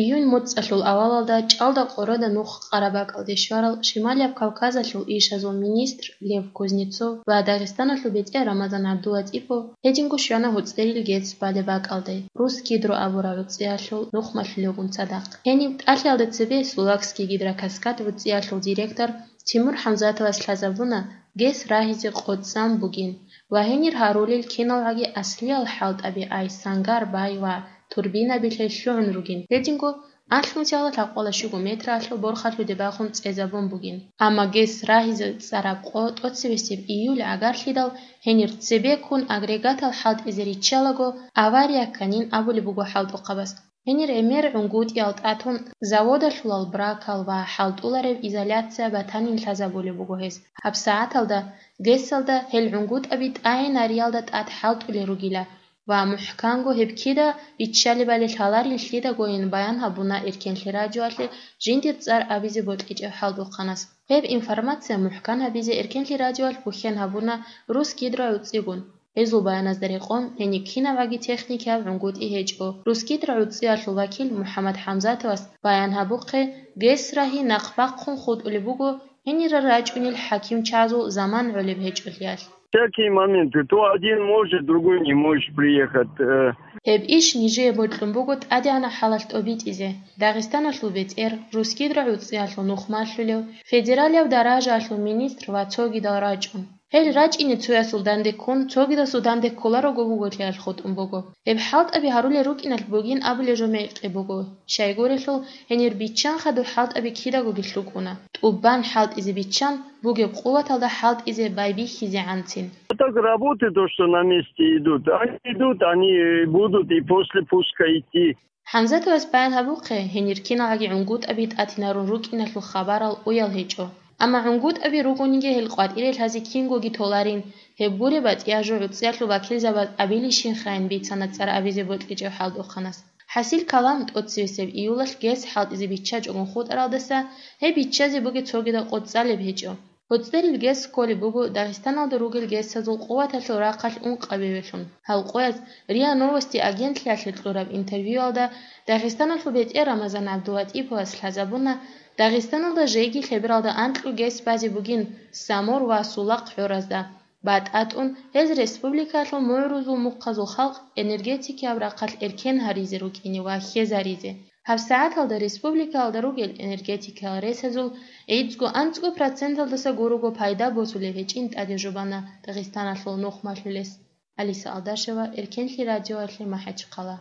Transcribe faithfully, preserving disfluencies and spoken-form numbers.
Июнь моцӀалъул авалалда чӀалда къорада нух Къарабакалде щварал Шималияб Кавказалъул ишазул министр Лев Кузнецов ва Дагъистаналъул бетӀер Рамазан ГӀабдулатӀипов гьединго щвана гьуцӀерил ГЭС балеб бакӀалде, Русгидро абураб гӀуцӀиялъул нухмалъулевгун цадахъ. Гьениб тӀалъиялда цебе Сулакский гидрокаскад гӀуцӀиялъул директор Тимур ХӀамзатовас лъазабуна ГЭС рагьизе къотӀзан бугин ва гьенир гьарулел киналгӀаги аслиял хӀалтӀаби ай сангар бай ва турбинабилъе лъугӀун ругин. Гьединго алъун сягьлалъ гьакъула щуго метралъул борхалъуде бахун цӀезабун бугин. Амма ГЭС рагьизе цӀараб къо тӀоцебесеб июль гӀагарлъидал гьенир цебеккун агрегатал хӀалтӀизе риччалаго авария кканин абулеб буго хӀалтӀухъабаз. Гьенир гӀемер гӀунгутӀиял тӀатун заводалъулал бракал ва хӀалтӀулареб изоляция батанин лъазабулеб буго гьес. ГьабсагӀаталда ГЭСалда гьел гӀунгутӀаби тӀагӀинариялда тӀад хӀалтӀулел ругила ва мухӀканго гьеб кида биччалебали лъаларин лъидагойин баян гьабуна Эркенлъи радиоялъе жиндир цӀар абизе бокьичӀев хӀалтӀухъанас. Гьеб информация мухӀкан гьабизе Эркенлъи радиоялъ бухьен гьабуна Русгидро гӀуцӀигун. Гьезул баяназда рекъон, гьениб кинабгӀаги техникияб гӀунгутӀи гьечӀо. Русгидро гӀуцӀиялъул вакил МухӀаммад ХӀамзатовас баян гьабухъе, ГЭС рагьи нахъ бахъун хутӀулеб буго гьенирал рачӀунел хӀакимчазул заман гӀолеб гьечӀолъиялъ. Всякие моменты. То один может, другой не может приехать. Э, Гьеб иш нижее бокьун буго тӀадегӀанаб хӀалалъ тӀобитӀизе. Дагъистаналъул бетӀер, Русгидро гӀуцӀиялъул нухмалъулев, федералияб даражаялъул министр ва цогидал рачӀун. Гьел рачӀине цоясул данде ккун, цогидасул данде кколарого вуготлъиялъ хутӀун буго. Гьеб хӀалтӀаби гьарулел рукӀиналъ бугин абулеб жо мекъи буго. Щайгурелъул, гьенир биччан хадуб хӀалтӀаби кидагоги лъукӀуна. ТӀубан хӀалтӀизе биччан, бугеб къуваталда хӀалтӀизе байбихьизегӀанцин. А так работы, то, что на месте идут, они идут, они будут и после пуска идти. ХӀамзатовас баян гьабухъе, гьенир киналгӀаги гӀунгутӀаби тӀатинарун рукӀиналъул хабарал уял гьечӀо. Амма гӀунгутӀаби ругониги гьел къватӀире лъазе кингоги толарин, гьеб буре батӀияб жо гӀуцӀиялъул вакилзабаз абилищинхайин бицана цӀар абизе бокьичӀев хӀалтӀухъанас. ХӀасил калам, тӀоцебесеб июлалъ ГЭС хӀалтӀизе биччачӀогун хутӀаралдаса гьеб биччазе бугеб цогидаб къо цӀалеб гьечӀо. ГьуцӀерил ГЭС кколеб буго Дагъистаналда ругел ГЭСазул къуваталъул рахъалъ ункъабилеб къоялъ. Гьал къояз РИА Новости агентлъиялъе кьураб интервьюялда Дагъистаналъул бетӀер Рамазан ГӀабдулатӀиповас лъазабуна, Дагъистаналда жеги лъебералда анкьго ГЭС базе бугин Самур ва Сулахъ гӀоразда. БатӀа тӀун гьез республикалъул мугӀрузул мухъазул халкъ энергетикияб рахъалъ эркен гьаризе рукӀине ва хьезаризе. ГьабсагӀаталда республикалда ругел энергетикиял ресазул гӀицӀго-анцӀго проценталдаса гурого пайда босулеб гьечӀин тӀаде жубана Дагъистаналъул нухмалъулес. Алиса Алдашева, Эркенлъи радиоялъе, МахӀачхъала.